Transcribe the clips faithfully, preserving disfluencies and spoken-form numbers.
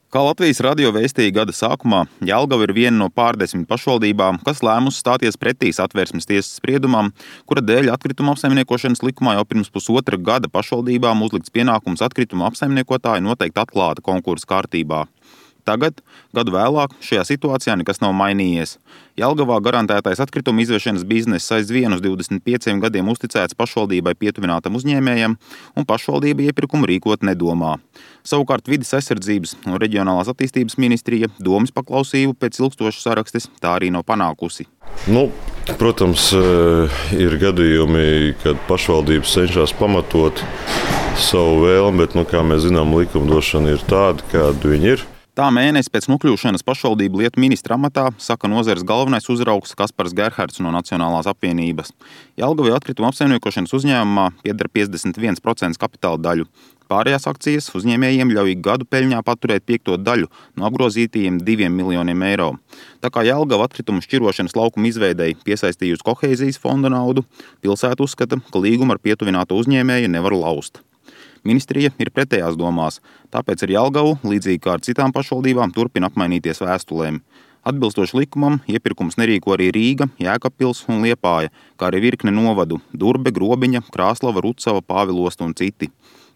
Kā Latvijas radio vēstīja gada sākumā, Jelgava ir viena no pārdesmit pašvaldībām, kas lēmusi stāties pretī Satversmes tiesas spriedumam, kura dēļ atkrituma apsaimniekošanas likumā jau pirms pusotra gada pašvaldībām uzlikts pienākums atkrituma apsaimniekotāju noteikt atklāta konkursa kārtībā. Tagad, gadu vēlāk, šajā situācijā nekas nav mainījies. Jelgavā garantētais atkrituma izvešanas bizness aizvien uz divdesmit pieciem gadiem uzticēts pašvaldībai pietuvinātam uzņēmējam, un pašvaldība iepirkumu rīkot nedomā. Savukārt vides aizsardzības un reģionālās attīstības ministrija domas paklausību pēc ilgstošas sarakstes tā arī nav panākusi. Nu, protams, ir gadījumi, kad pašvaldības cenšas pamatot savu vēlmi, bet, nu, kā mēs zinām, likumdošana ir tāda, kāda viņa ir. Tā mēnesi pēc nokļūšanas pašvaldību lietu ministra amatā saka nozares galvenais uzraugs Kaspars Gerhards no Nacionālās apvienības. Jelgavai atkrituma apsaimniekošanas uzņēmumā pieder piecdesmit viens procents kapitāla daļu. Pārējās akcijas uzņēmējiem ļauj gadu peļņā paturēt piekto daļu no apgrozītajiem diviem miljoniem eiro. Tā kā Jelgava atkritumu šķirošanas laukuma izveidei piesaistījusi kohēzijas fonda naudu, pilsēta uzskata, ka līgumu ar pietuvināto uzņēmēju nevar laust. Ministrija ir pretējās domās, tāpēc ar Jelgavu, līdzīgi kā ar citām pašvaldībām, turpina apmainīties vēstulēm. Atbilstoši likumam, iepirkums nerīko arī Rīga, Jēkabpils un Liepāja, kā arī virkne novadu – Durbe, Grobiņa, Krāslava, Rucava, Pāvilosta un citi.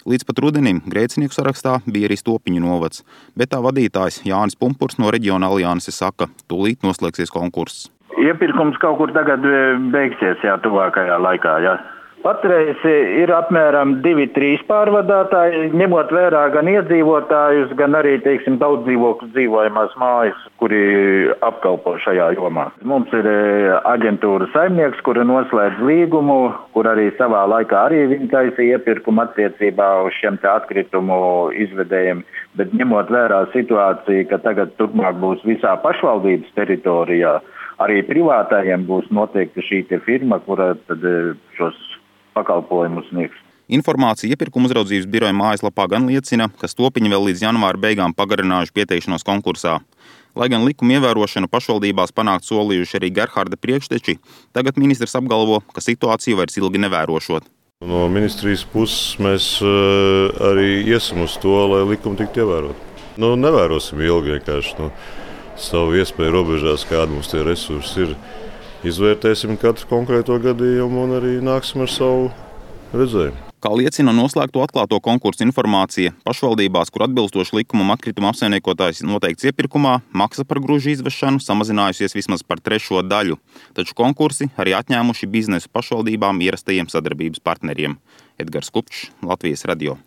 Līdz pat rudenim grēcinieku sarakstā bija arī Stopiņu novads, bet tā vadītājs Jānis Pumpurs no Reģiona alianses saka, tūlīt noslēgsies konkurss. Iepirkums kaut kur tagad beigsies, jā, tuvākajā laikā, jā. Patreiz ir apmēram divi trīs pārvadātāji, ņemot vērā gan iedzīvotājus, gan arī, teiksim, daudz dzīvokļu dzīvojamās mājas, kuri apkalpo šajā jomā. Mums ir aģentūra saimnieks, kura noslēdz līgumu, kur arī savā laikā arī viņi taisīja iepirkumu attiecībā uz šiem te atkritumu izvedējiem, bet ņemot vērā situāciju, ka tagad turpmāk būs visā pašvaldības teritorijā, arī privātājiem būs noteikti šī te firma, kura tad šos pakalpojumus sniegs. Informācija iepirkuma uzraudzības biroja mājaslapā gan liecina, ka Stopiņi vēl līdz janvāra beigām pagarinājuši pieteikšanos konkursā. Lai gan likuma ievērošanu pašvaldībās panākt solījuši arī Gerharda priekšteči, tagad ministrs apgalvo, ka situāciju vairs ilgi nevērošot. No ministrijas puses mēs arī iesim uz to, lai likumi tiktu ievērot. Nu, nevērosim ilgi vienkārši. Nu, savu iespēju robežās, kāda mums tie resursi ir. Izvērtēsim katru konkrēto gadījumu un arī nāksim ar savu redzējumu. Kā liecina noslēgto atklāto konkursu informācija, pašvaldībās, kur atbilstoši likumam atkrituma apsaimniekotājs noteikts iepirkumā, maksa par gružu izvešanu samazinājusies vismaz par trešo daļu, taču konkursi arī atņēmuši biznesu pašvaldībām ierastajiem sadarbības partneriem. Edgars Kupčs, Latvijas radio.